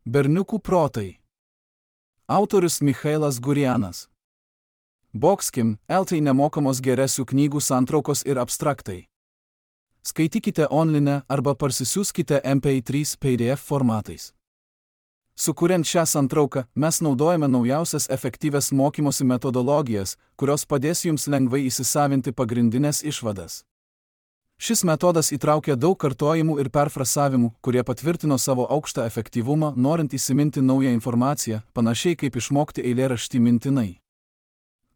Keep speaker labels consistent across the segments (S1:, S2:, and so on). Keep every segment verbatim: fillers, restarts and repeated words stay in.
S1: Berniukų protai. Autorius Michailas Gurianas. Boxkim, L T nemokamos geresių knygų santraukos ir abstraktai. Skaitykite online arba parsisiųskite M P trys P D F formatais. Sukuriant šią santrauką, mes naudojame naujausias efektyvias mokymosi metodologijas, kurios padės jums lengvai įsisavinti pagrindinės išvadas. Šis metodas įtraukia daug kartojimų ir perfrasavimų, kurie patvirtino savo aukštą efektyvumą, norint įsiminti naują informaciją, panašiai kaip išmokti eilėraštį mintinai.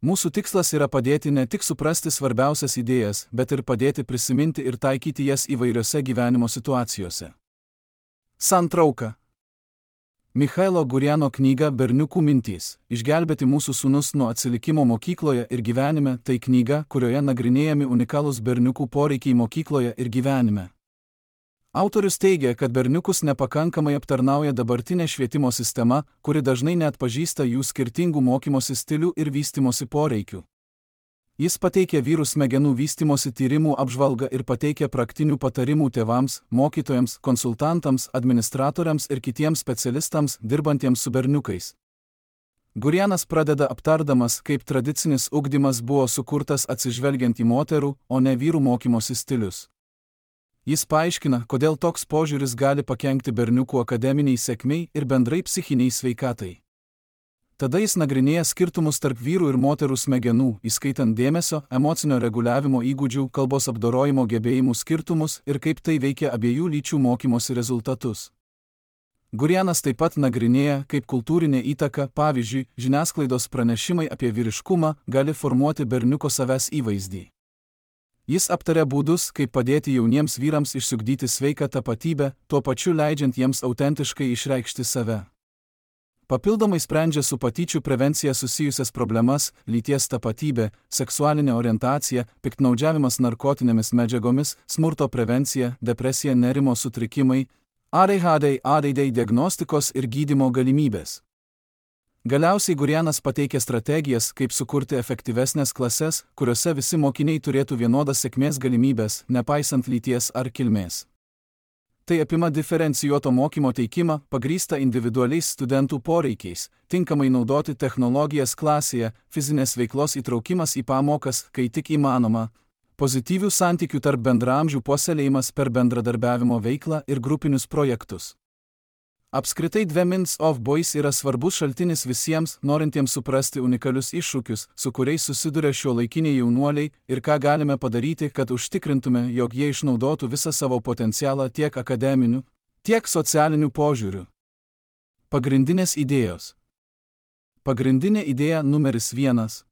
S1: Mūsų tikslas yra padėti ne tik suprasti svarbiausias idėjas, bet ir padėti prisiminti ir taikyti jas įvairiose gyvenimo situacijose. Santrauka. Michailo Guriano knyga Berniukų mintys – Išgelbėti mūsų sūnus nuo atsilikimo mokykloje ir gyvenime – tai knyga, kurioje nagrinėjami unikalūs berniukų poreikiai mokykloje ir gyvenime. Autorius teigia, kad berniukus nepakankamai aptarnauja dabartinė švietimo sistema, kuri dažnai neatpažįsta jų skirtingų mokymosi stilių ir vystymosi poreikių. Jis pateikia vyrų smegenų vystymosi tyrimų apžvalgą ir pateikia praktinių patarimų tėvams, mokytojams, konsultantams, administratoriams ir kitiems specialistams, dirbantiems su berniukais. Gurianas pradeda aptardamas, kaip tradicinis ugdymas buvo sukurtas atsižvelgiant į moterų, o ne vyrų mokymosi stilius. Jis paaiškina, kodėl toks požiūris gali pakenkti berniukų akademiniai sėkmei ir bendrai psichiniai sveikatai. Tada jis nagrinėja skirtumus tarp vyrų ir moterų smegenų, įskaitant dėmesio, emocinio reguliavimo įgūdžių, kalbos apdorojimo gebėjimų skirtumus ir kaip tai veikia abiejų lyčių mokymosi rezultatus. Gurianas taip pat nagrinėja, kaip kultūrinė įtaka, pavyzdžiui, žiniasklaidos pranešimai apie vyriškumą, gali formuoti berniuko savęs įvaizdį. Jis aptaria būdus, kaip padėti jauniems vyrams išsiugdyti sveiką tapatybę, tuo pačiu leidžiant jiems autentiškai išreikšti save. Papildomai sprendžia su patyčių prevencija susijusias problemas – lyties tapatybė, seksualinė orientacija, piktnaudžiavimas narkotinėmis medžiagomis, smurto prevencija, depresija, nerimo sutrikimai, A D H D, A D D diagnostikos ir gydymo galimybės. Galiausiai Gurianas pateikia strategijas, kaip sukurti efektyvesnės klases, kuriuose visi mokiniai turėtų vienodas sėkmės galimybės, nepaisant lyties ar kilmės. Tai apima diferencijuoto mokymo teikimą, pagrįstą individualiais studentų poreikiais, tinkamai naudoti technologijas klasėje, fizinės veiklos įtraukimas į pamokas, kai tik įmanoma, pozityvių santykių tarp bendraamžių puoselėjimas per bendradarbiavimo veiklą ir grupinius projektus. Apskritai The Minds of Boys yra svarbus šaltinis visiems, norintiems suprasti unikalius iššūkius, su kuriais susiduria šiuolaikiniai jaunuoliai ir ką galime padaryti, kad užtikrintume, jog jie išnaudotų visą savo potencialą tiek akademiniu, tiek socialiniu požiūriu. Pagrindinės idėjos. Pagrindinė idėja numeris vienas.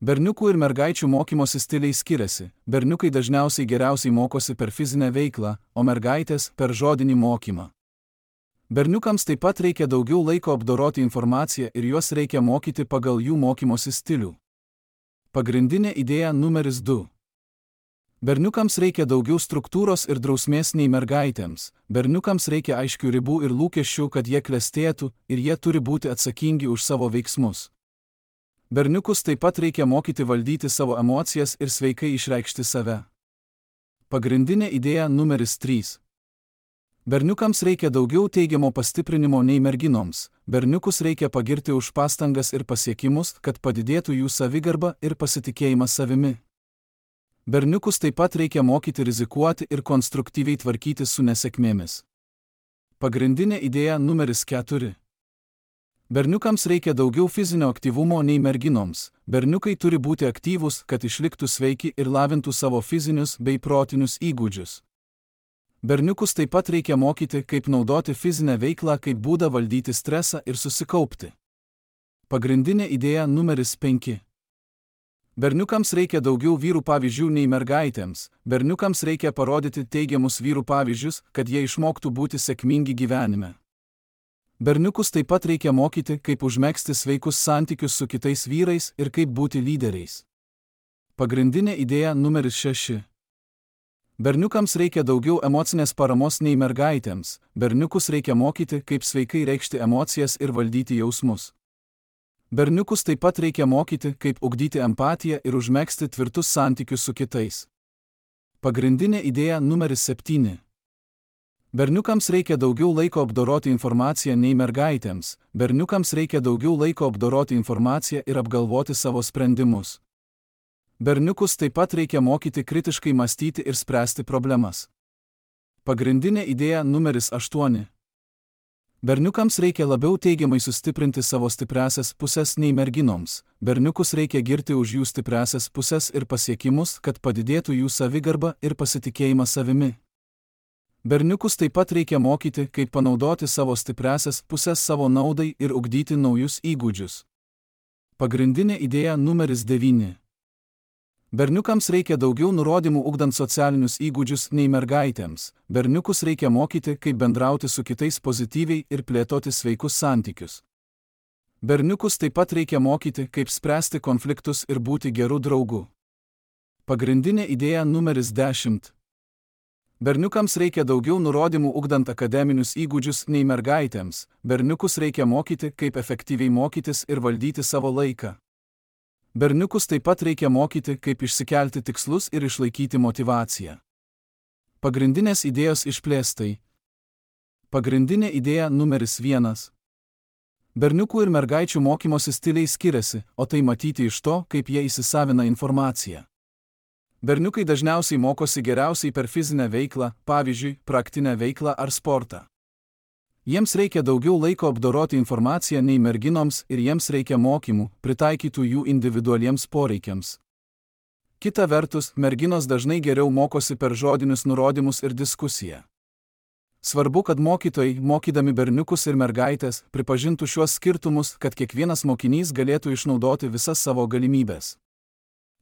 S1: Berniukų ir mergaičių mokymosi stiliai skiriasi. Berniukai dažniausiai geriausiai mokosi per fizinę veiklą, o mergaitės per žodinį mokymą. Berniukams taip pat reikia daugiau laiko apdoroti informaciją ir juos reikia mokyti pagal jų mokymosi stilių. Pagrindinė idėja numeris du. Berniukams reikia daugiau struktūros ir drausmės nei mergaitėms. Berniukams reikia aiškių ribų ir lūkesčių, kad jie klestėtų, ir jie turi būti atsakingi už savo veiksmus. Berniukus taip pat reikia mokyti valdyti savo emocijas ir sveikai išreikšti save. Pagrindinė idėja numeris trys. Berniukams reikia daugiau teigiamo pastiprinimo nei merginoms. Berniukus reikia pagirti už pastangas ir pasiekimus, kad padidėtų jų savigarba ir pasitikėjimas savimi. Berniukus taip pat reikia mokyti rizikuoti ir konstruktyviai tvarkytis su nesėkmėmis. Pagrindinė idėja numeris keturi. Berniukams reikia daugiau fizinio aktyvumo nei merginoms. Berniukai turi būti aktyvūs, kad išliktų sveiki ir lavintų savo fizinius bei protinius įgūdžius. Berniukus taip pat reikia mokyti, kaip naudoti fizinę veiklą kaip būdą valdyti stresą ir susikaupti. Pagrindinė idėja numeris penki. Berniukams reikia daugiau vyrų pavyzdžių nei mergaitėms. Berniukams reikia parodyti teigiamus vyrų pavyzdžius, kad jie išmoktų būti sėkmingi gyvenime. Berniukus taip pat reikia mokyti, kaip užmegzti sveikus santykius su kitais vyrais ir kaip būti lyderiais. Pagrindinė idėja numeris šeši. Berniukams reikia daugiau emocinės paramos nei mergaitėms. Berniukus reikia mokyti, kaip sveikai reikšti emocijas ir valdyti jausmus. Berniukus taip pat reikia mokyti, kaip ugdyti empatiją ir užmegzti tvirtus santykius su kitais. Pagrindinė idėja numeris septyni. Berniukams reikia daugiau laiko apdoroti informaciją nei mergaitėms, berniukams reikia daugiau laiko apdoroti informaciją ir apgalvoti savo sprendimus. Berniukus taip pat reikia mokyti kritiškai mąstyti ir spręsti problemas. Pagrindinė idėja numeris aštuoni. Berniukams reikia labiau teigiamai sustiprinti savo stipriąsias pusės nei merginoms, berniukus reikia girti už jų stipriąsias pusės ir pasiekimus, kad padidėtų jų savigarba ir pasitikėjimą savimi. Berniukus taip pat reikia mokyti, kaip panaudoti savo stipriąsias pusės savo naudai ir ugdyti naujus įgūdžius. Pagrindinė idėja numeris devyni. Berniukams reikia daugiau nurodymų ugdant socialinius įgūdžius nei mergaitėms, berniukus reikia mokyti, kaip bendrauti su kitais pozityviai ir plėtoti sveikus santykius. Berniukus taip pat reikia mokyti, kaip spręsti konfliktus ir būti gerų draugų. Pagrindinė idėja numeris dešimt. Berniukams reikia daugiau nurodymų ugdant akademinius įgūdžius nei mergaitėms, berniukus reikia mokyti, kaip efektyviai mokytis ir valdyti savo laiką. Berniukus taip pat reikia mokyti, kaip išsikelti tikslus ir išlaikyti motyvaciją. Pagrindinės idėjos išplėstai. Pagrindinė idėja numeris vienas. Berniukų ir mergaičių mokymosi stiliai skiriasi, o tai matyti iš to, kaip jie įsisavina informaciją. Berniukai dažniausiai mokosi geriausiai per fizinę veiklą, pavyzdžiui, praktinę veiklą ar sportą. Jiems reikia daugiau laiko apdoroti informaciją nei merginoms ir jiems reikia mokymų, pritaikytų jų individualiems poreikiams. Kita vertus, merginos dažnai geriau mokosi per žodinius nurodymus ir diskusiją. Svarbu, kad mokytojai, mokydami berniukus ir mergaitės, pripažintų šiuos skirtumus, kad kiekvienas mokinys galėtų išnaudoti visas savo galimybės.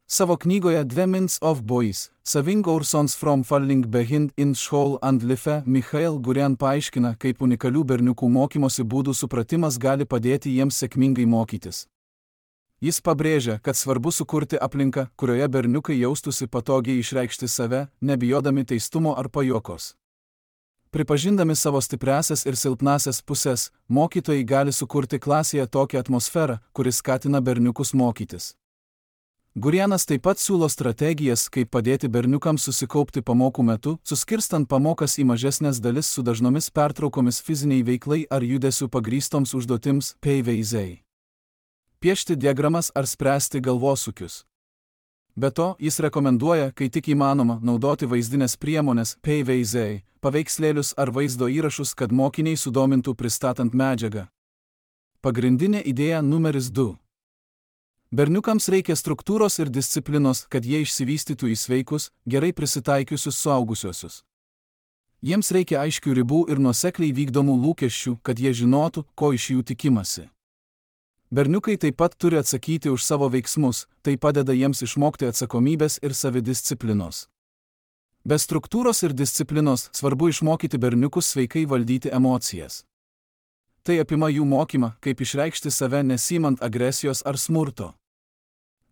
S1: Savo knygoje The Minds of Boys, Saving Our Sons from Falling Behind in School and Life, Michael Gurian paaiškina, kaip unikalių berniukų mokymosi būdų supratimas gali padėti jiems sėkmingai mokytis. Jis pabrėžia, kad svarbu sukurti aplinką, kurioje berniukai jaustųsi patogiai išreikšti save, nebijodami teistumo ar pajuokos. Pripažindami savo stipriąsias ir silpnąsias pusės, mokytojai gali sukurti klasėje tokią atmosferą, kuri skatina berniukus mokytis. Gurianas taip pat siūlo strategijas, kaip padėti berniukams susikaupti pamokų metu, suskirstant pamokas į mažesnės dalis su dažnomis pertraukomis fiziniai veiklai ar judesių pagrįstoms užduotims P V Z. Piešti diagramas ar spręsti galvosūkius. Be to, jis rekomenduoja, kai tik įmanoma, naudoti vaizdinės priemonės P V Z, paveikslėlius ar vaizdo įrašus, kad mokiniai sudomintų pristatant medžiagą. Pagrindinė idėja numeris du. Berniukams reikia struktūros ir disciplinos, kad jie išsivystytų į sveikus, gerai prisitaikiusius suaugusiuosius. Jiems reikia aiškių ribų ir nuosekliai vykdomų lūkesčių, kad jie žinotų, ko iš jų tikimasi. Berniukai taip pat turi atsakyti už savo veiksmus, tai padeda jiems išmokti atsakomybės ir savidisciplinos. Be struktūros ir disciplinos svarbu išmokyti berniukus sveikai valdyti emocijas. Tai apima jų mokymą, kaip išreikšti save nesimant agresijos ar smurto.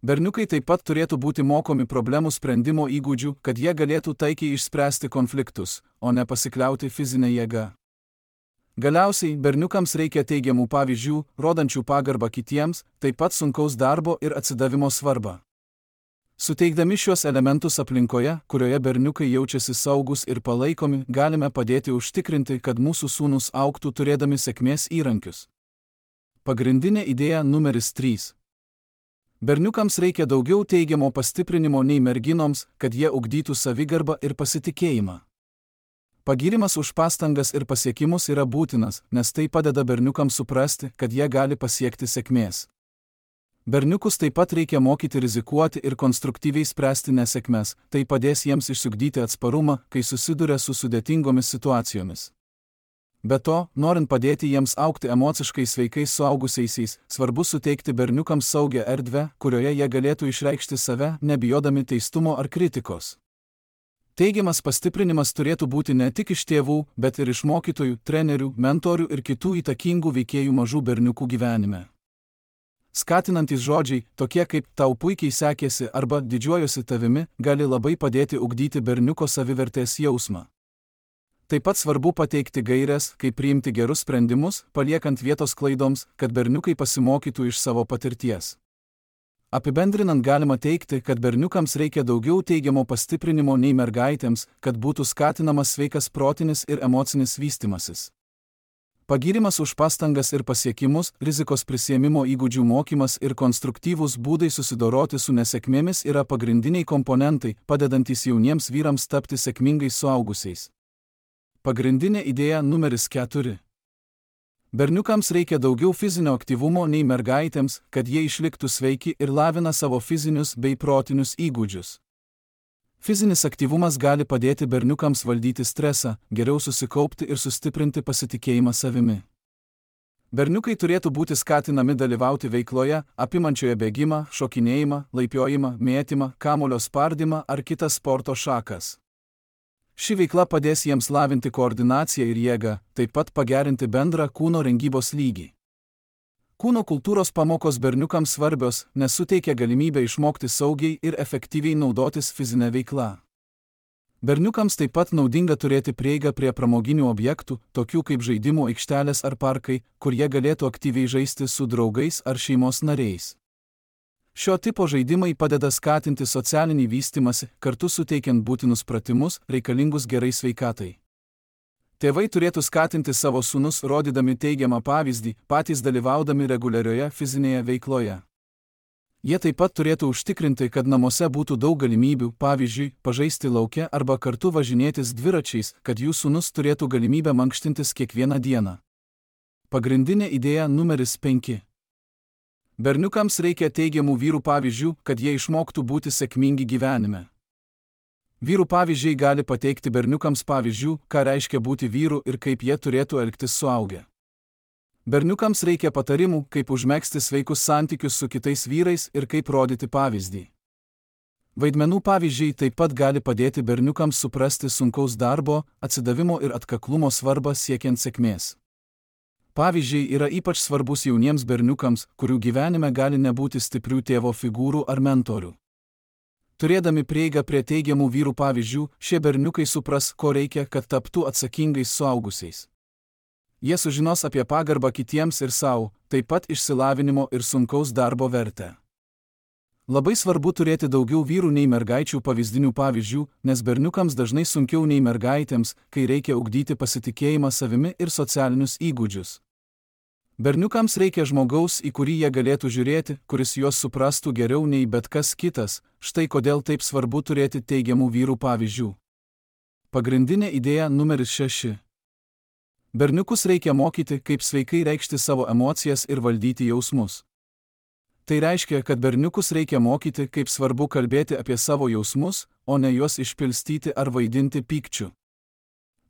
S1: Berniukai taip pat turėtų būti mokomi problemų sprendimo įgūdžių, kad jie galėtų taikiai išspręsti konfliktus, o ne pasikliauti fizinę jėgą. Galiausiai, berniukams reikia teigiamų pavyzdžių, rodančių pagarbą kitiems, taip pat sunkaus darbo ir atsidavimo svarbą. Suteikdami šiuos elementus aplinkoje, kurioje berniukai jaučiasi saugus ir palaikomi, galime padėti užtikrinti, kad mūsų sūnūs augtų turėdami sėkmės įrankius. Pagrindinė idėja numeris trys. Berniukams reikia daugiau teigiamo pastiprinimo nei merginoms, kad jie ugdytų savigarbą ir pasitikėjimą. Pagirimas už pastangas ir pasiekimus yra būtinas, nes tai padeda berniukams suprasti, kad jie gali pasiekti sėkmės. Berniukus taip pat reikia mokyti rizikuoti ir konstruktyviai spręsti nesėkmes, tai padės jiems išsiugdyti atsparumą, kai susiduria su sudėtingomis situacijomis. Be to, norint padėti jiems augti emociškai sveikais suaugusiaisiais, svarbu suteikti berniukams saugią erdvę, kurioje jie galėtų išreikšti save, nebijodami teistumo ar kritikos. Teigiamas pastiprinimas turėtų būti ne tik iš tėvų, bet ir iš mokytojų, trenerių, mentorių ir kitų įtakingų veikėjų mažų berniukų gyvenime. Skatinantys žodžiai, tokie kaip tau puikiai sekėsi arba didžiuojuosi tavimi, gali labai padėti ugdyti berniuko savivertės jausmą. Taip pat svarbu pateikti gaires, kaip priimti gerus sprendimus, paliekant vietos klaidoms, kad berniukai pasimokytų iš savo patirties. Apibendrinant galima teigti, kad berniukams reikia daugiau teigiamo pastiprinimo nei mergaitėms, kad būtų skatinamas sveikas protinis ir emocinis vystimasis. Pagyrimas už pastangas ir pasiekimus, rizikos prisiėmimo įgūdžių mokymas ir konstruktyvūs būdai susidoroti su nesėkmėmis yra pagrindiniai komponentai, padedantys jauniems vyrams tapti sėkmingais suaugusiais. Pagrindinė idėja numeris keturi. Berniukams reikia daugiau fizinio aktyvumo nei mergaitėms, kad jie išliktų sveiki ir lavina savo fizinius bei protinius įgūdžius. Fizinis aktyvumas gali padėti berniukams valdyti stresą, geriau susikaupti ir sustiprinti pasitikėjimą savimi. Berniukai turėtų būti skatinami dalyvauti veikloje, apimančioje bėgimą, šokinėjimą, laipiojimą, mėtymą, kamuolio spardymą ar kitas sporto šakas. Ši veikla padės jiems lavinti koordinaciją ir jėgą, taip pat pagerinti bendrą kūno rengybos lygį. Kūno kultūros pamokos berniukams svarbios, nes suteikia galimybę išmokti saugiai ir efektyviai naudotis fizinę veiklą. Berniukams taip pat naudinga turėti prieigą prie pramoginių objektų, tokių kaip žaidimų aikštelės ar parkai, kur jie galėtų aktyviai žaisti su draugais ar šeimos nariais. Šio tipo žaidimai padeda skatinti socialinį vystimąsi, kartu suteikiant būtinus pratimus, reikalingus gerai sveikatai. Tėvai turėtų skatinti savo sūnus, rodydami teigiamą pavyzdį, patys dalyvaudami reguliarioje fizinėje veikloje. Jie taip pat turėtų užtikrinti, kad namuose būtų daug galimybių, pavyzdžiui, pažaisti lauke arba kartu važinėtis dviračiais, kad jų sūnus turėtų galimybę mankštintis kiekvieną dieną. Pagrindinė idėja numeris penki. Berniukams reikia teigiamų vyrų pavyzdžių, kad jie išmoktų būti sėkmingi gyvenime. Vyrų pavyzdžiai gali pateikti berniukams pavyzdžių, ką reiškia būti vyru ir kaip jie turėtų elgtis suaugę. Berniukams reikia patarimų, kaip užmegzti sveikus santykius su kitais vyrais ir kaip rodyti pavyzdį. Vaidmenų pavyzdžiai taip pat gali padėti berniukams suprasti sunkaus darbo, atsidavimo ir atkaklumo svarbą siekiant sėkmės. Pavyzdžiai yra ypač svarbus jauniems berniukams, kurių gyvenime gali nebūti stiprių tėvo figūrų ar mentorių. Turėdami prieigą prie teigiamų vyrų pavyzdžių, šie berniukai supras, ko reikia, kad taptų atsakingais suaugusiais. Jie sužinos apie pagarbą kitiems ir savo, taip pat išsilavinimo ir sunkaus darbo vertę. Labai svarbu turėti daugiau vyrų nei mergaičių pavyzdinių pavyzdžių, nes berniukams dažnai sunkiau nei mergaitėms, kai reikia ugdyti pasitikėjimą savimi ir socialinius įgūdžius. Berniukams reikia žmogaus, į kurį jie galėtų žiūrėti, kuris juos suprastų geriau nei bet kas kitas, štai kodėl taip svarbu turėti teigiamų vyrų pavyzdžių. Pagrindinė idėja numeris šeši. Berniukus reikia mokyti, kaip sveikai reikšti savo emocijas ir valdyti jausmus. Tai reiškia, kad berniukus reikia mokyti, kaip svarbu kalbėti apie savo jausmus, o ne juos išpilstyti ar vaidinti pykčiu.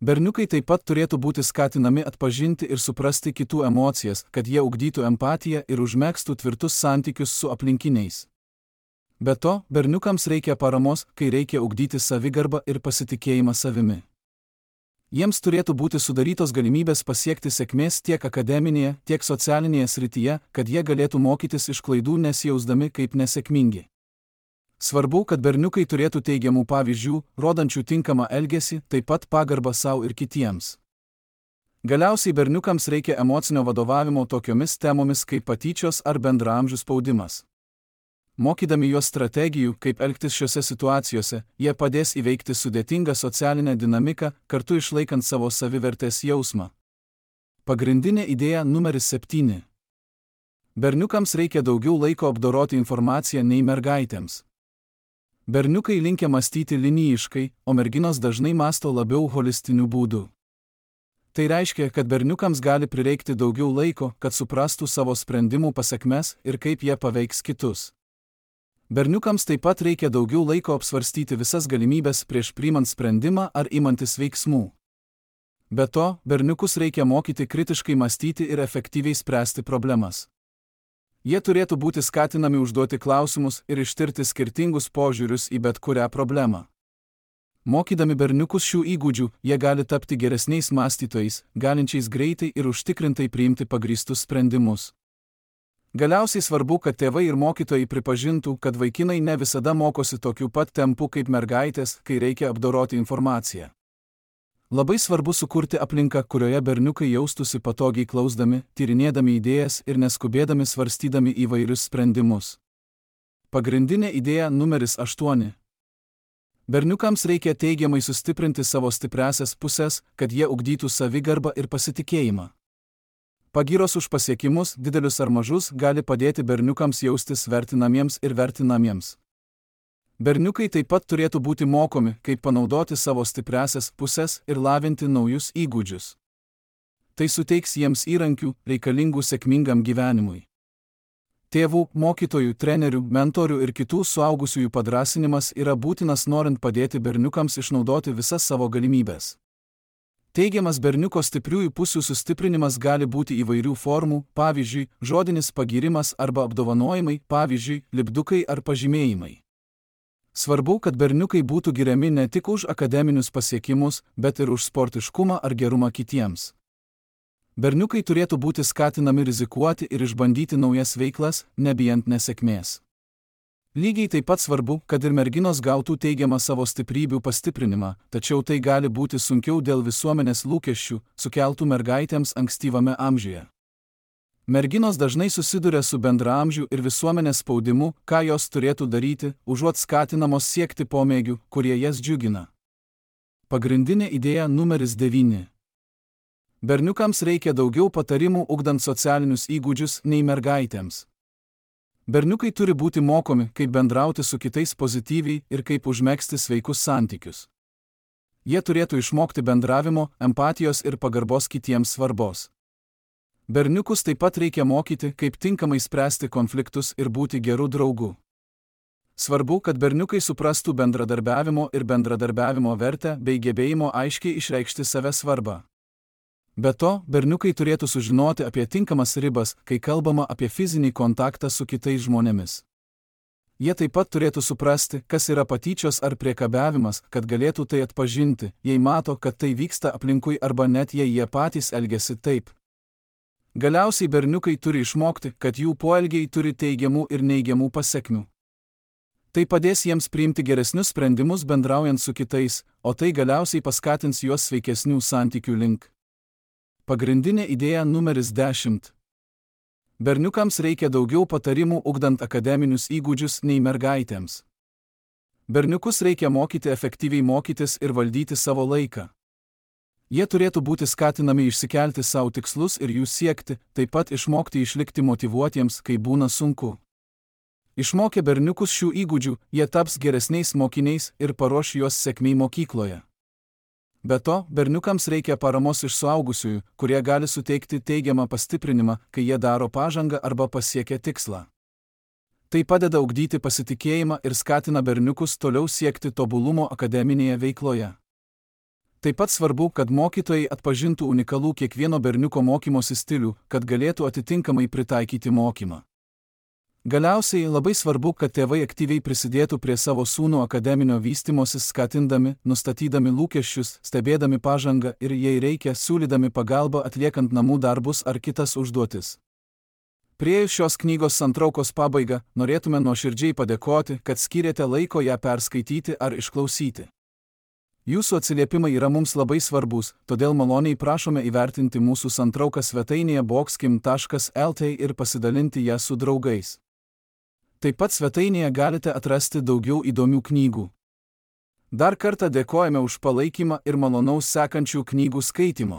S1: Berniukai taip pat turėtų būti skatinami atpažinti ir suprasti kitų emocijas, kad jie ugdytų empatiją ir užmegztų tvirtus santykius su aplinkiniais. Be to, berniukams reikia paramos, kai reikia ugdyti savigarbą ir pasitikėjimą savimi. Jiems turėtų būti sudarytos galimybės pasiekti sėkmės tiek akademinėje, tiek socialinėje srityje, kad jie galėtų mokytis iš klaidų nesijausdami kaip nesėkmingi. Svarbu, kad berniukai turėtų teigiamų pavyzdžių, rodančių tinkamą elgesį, taip pat pagarbą savo ir kitiems. Galiausiai berniukams reikia emocinio vadovavimo tokiomis temomis kaip patyčios ar bendraamžių spaudimas. Mokydami juos strategijų, kaip elgtis šiose situacijose, jie padės įveikti sudėtingą socialinę dinamiką, kartu išlaikant savo savivertės jausmą. Pagrindinė idėja numeris septyni. Berniukams reikia daugiau laiko apdoroti informaciją nei mergaitėms. Berniukai linkę mąstyti linijiškai, o merginos dažnai mąsto labiau holistiniu būdu. Tai reiškia, kad berniukams gali prireikti daugiau laiko, kad suprastų savo sprendimų pasekmes ir kaip jie paveiks kitus. Berniukams taip pat reikia daugiau laiko apsvarstyti visas galimybės prieš priimant sprendimą ar imantis veiksmų. Be to, berniukus reikia mokyti kritiškai mąstyti ir efektyviai spręsti problemas. Jie turėtų būti skatinami užduoti klausimus ir ištirti skirtingus požiūrius į bet kurią problemą. Mokydami berniukus šių įgūdžių, jie gali tapti geresniais mąstytojais, galinčiais greitai ir užtikrintai priimti pagrįstus sprendimus. Galiausiai svarbu, kad tėvai ir mokytojai pripažintų, kad vaikinai ne visada mokosi tokiu pat tempu kaip mergaitės, kai reikia apdoroti informaciją. Labai svarbu sukurti aplinką, kurioje berniukai jaustųsi patogiai klausdami, tyrinėdami idėjas ir neskubėdami svarstydami įvairius sprendimus. Pagrindinė idėja numeris aštuoni. Berniukams reikia teigiamai sustiprinti savo stipriąsias pusės, kad jie ugdytų savigarbą ir pasitikėjimą. Pagyros už pasiekimus, didelius ar mažus, gali padėti berniukams jaustis vertinamiems ir vertinamiems. Berniukai taip pat turėtų būti mokomi, kaip panaudoti savo stipriąsias pusės ir lavinti naujus įgūdžius. Tai suteiks jiems įrankių, reikalingų sėkmingam gyvenimui. Tėvų, mokytojų, trenerių, mentorių ir kitų suaugusiųjų padrąsinimas yra būtinas norint padėti berniukams išnaudoti visas savo galimybės. Teigiamas berniuko stipriųjų pusių sustiprinimas gali būti įvairių formų, pavyzdžiui, žodinis pagyrimas arba apdovanojimai, pavyzdžiui, lipdukai ar pažymėjimai. Svarbu, kad berniukai būtų giriami ne tik už akademinius pasiekimus, bet ir už sportiškumą ar gerumą kitiems. Berniukai turėtų būti skatinami rizikuoti ir išbandyti naujas veiklas, nebijant nesėkmės. Lygiai taip pat svarbu, kad ir merginos gautų teigiamą savo stiprybių pastiprinimą, tačiau tai gali būti sunkiau dėl visuomenės lūkesčių, sukeltų mergaitėms ankstyvame amžiuje. Merginos dažnai susiduria su bendraamžių ir visuomenės spaudimu, ką jos turėtų daryti, užuot skatinamos siekti pomėgių, kurie jas džiugina. Pagrindinė idėja numeris devyni. Berniukams reikia daugiau patarimų ugdant socialinius įgūdžius nei mergaitėms. Berniukai turi būti mokomi, kaip bendrauti su kitais pozityviai ir kaip užmegzti sveikus santykius. Jie turėtų išmokti bendravimo, empatijos ir pagarbos kitiems svarbos. Berniukus taip pat reikia mokyti, kaip tinkamai spręsti konfliktus ir būti gerų draugų. Svarbu, kad berniukai suprastų bendradarbiavimo ir bendradarbiavimo vertę bei gebėjimo aiškiai išreikšti save svarbą. Be to, berniukai turėtų sužinoti apie tinkamas ribas, kai kalbama apie fizinį kontaktą su kitais žmonėmis. Jie taip pat turėtų suprasti, kas yra patyčios ar priekabiavimas, kad galėtų tai atpažinti, jei mato, kad tai vyksta aplinkui arba net jei jie patys elgiasi taip. Galiausiai berniukai turi išmokti, kad jų poelgiai turi teigiamų ir neigiamų pasekmių. Tai padės jiems priimti geresnius sprendimus bendraujant su kitais, o tai galiausiai paskatins juos sveikesnių santykių link. Pagrindinė idėja numeris dešimt. Berniukams reikia daugiau patarimų ugdant akademinius įgūdžius nei mergaitėms. Berniukus reikia mokyti efektyviai mokytis ir valdyti savo laiką. Jie turėtų būti skatinami išsikelti savo tikslus ir jų siekti, taip pat išmokti išlikti motyvuotiems, kai būna sunku. Išmokę berniukus šių įgūdžių, jie taps geresniais mokiniais ir paruoš juos sėkmei mokykloje. Be to, berniukams reikia paramos iš suaugusiųjų, kurie gali suteikti teigiamą pastiprinimą, kai jie daro pažangą arba pasiekia tikslą. Tai padeda ugdyti pasitikėjimą ir skatina berniukus toliau siekti tobulumo akademinėje veikloje. Taip pat svarbu, kad mokytojai atpažintų unikalų kiekvieno berniuko mokymosi stilių, kad galėtų atitinkamai pritaikyti mokymą. Galiausiai labai svarbu, kad tėvai aktyviai prisidėtų prie savo sūnų akademinio vystymosi, skatindami, nustatydami lūkesčius, stebėdami pažangą ir, jei reikia, siūlydami pagalbą atliekant namų darbus ar kitas užduotis. Priėjus šios knygos santraukos pabaigą, norėtume nuoširdžiai padėkoti, kad skyrėte laiko ją perskaityti ar išklausyti. Jūsų atsiliepimai yra mums labai svarbus, todėl maloniai prašome įvertinti mūsų santrauką svetainėje boxkim taškas lt ir pasidalinti ją su draugais. Taip pat svetainėje galite atrasti daugiau įdomių knygų. Dar kartą dėkojame už palaikymą ir malonaus sekančių knygų skaitimo.